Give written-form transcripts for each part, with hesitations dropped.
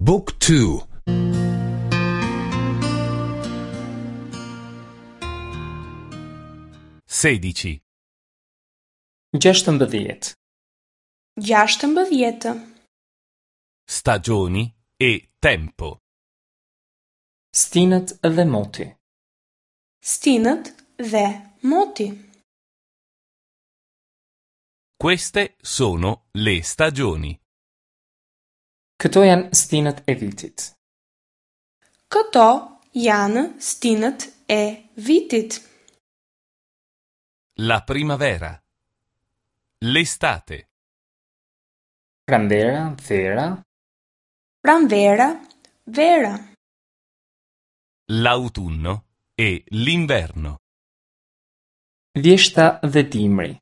Book 2 16. 16. 16. Stagioni e tempo. Stinët dhe moti. Stinët dhe moti. Queste sono le stagioni. Këto janë stinët e vitit. Këto janë stinët e vitit. La primavera. L'estate. Pranvera, vera, Pranvera, vera. L'autunno e l'inverno. Vjeshta dhe dimri.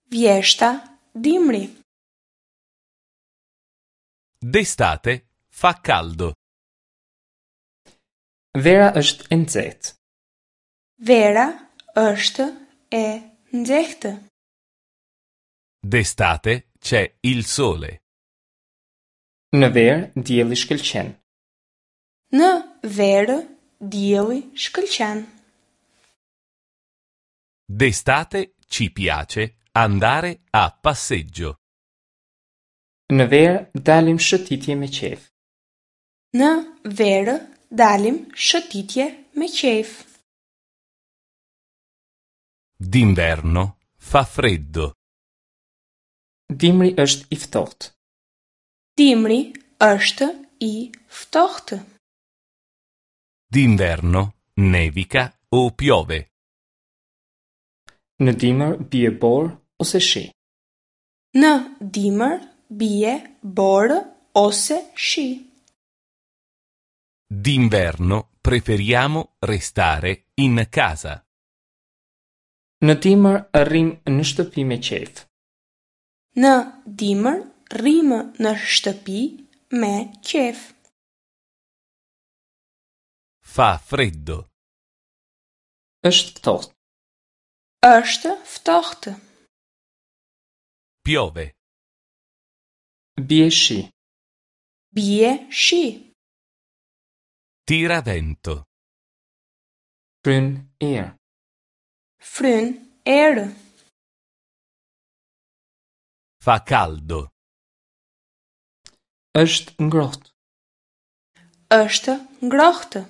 Vjeshta, dimri. D'estate fa caldo. Vera është e nxehtë. Vera është e nxehtë. D'estate c'è il sole. Në verë dielli shkëlqen. Në verë dielli shkëlqen. D'estate ci piace andare a passeggio. Në verë dalim shëtitje me qejf. Në verë dalim shëtitje me qejf. D'inverno fa freddo. Dimri është i ftohtë. Dimri është i ftohtë. D'inverno nevica o piove. Në dimër bie borë ose shi. Në dimër bie borë ose shi. D'inverno preferiamo restare in casa. Në dimër rrim në shtëpi me qejf. Në dimër rrimë në shtëpi me qejf. Fa freddo. Është ftohtë. Është ftohtë. Piove. Bie shi. Bie shi. Tira vento. Fryn erë. Fryn erë. Fa caldo. Është ngrohtë. Është ngrohtë.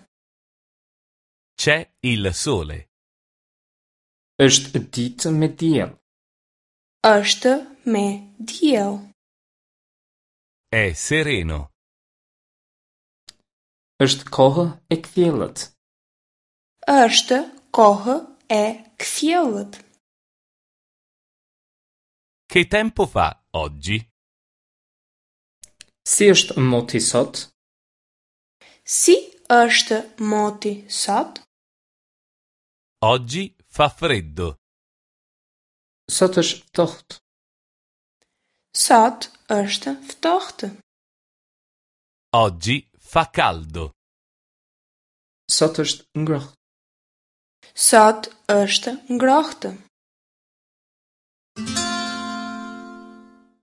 C'è il sole. Është ditë me diell. Është me diell. È sereno. Është kohë e kthjellët. Është kohë e kthjellët. Che tempo fa oggi? Si është moti sot? Si është moti sot? Oggi fa freddo. Sot është ftohtë. Sot është ftohtë. Oggi fa caldo. Sot është ngrohtë. Sot është ngrohtë.